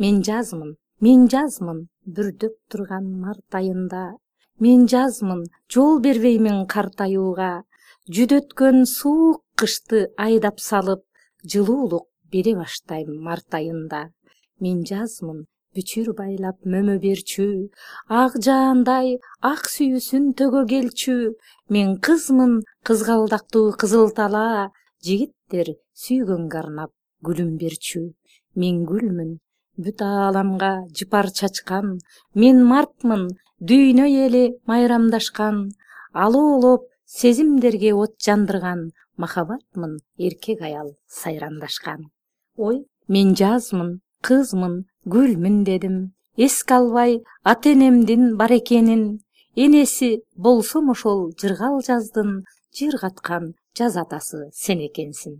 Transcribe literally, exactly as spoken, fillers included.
Мен жазмын, мен жазмын бүрдөп турган март айында. Мен жазмын, жол бербеймин картаюуга. Жүдөткөн суук кышты айдап салып, жылуулук бере баштайм март айында. Мен жазмын, бүчүр байлап мөмө берчү, ак жаандай ак сүйүүсүн төгө келчү. Мен кызмын, кызгалдактуу кызыл талаа, жигиттер сүйгөнгө арнап гүлүм берчү. Мен гүлмүн, бүт ааламга жыпар чачкан. Мен мартмын, дүйнө эли майрамдашкан. Алоолоп сезимдерге от жандырган. Махабатмын, эркек аял сайрандашкан. Ой, мен жазмын, кызмын, гүлмүн дедим. Эске албай ата энемдин бар экенин. Энеси болсом ошол жыргал жаздын, жыр каткан жаз атасы сен экенсиң.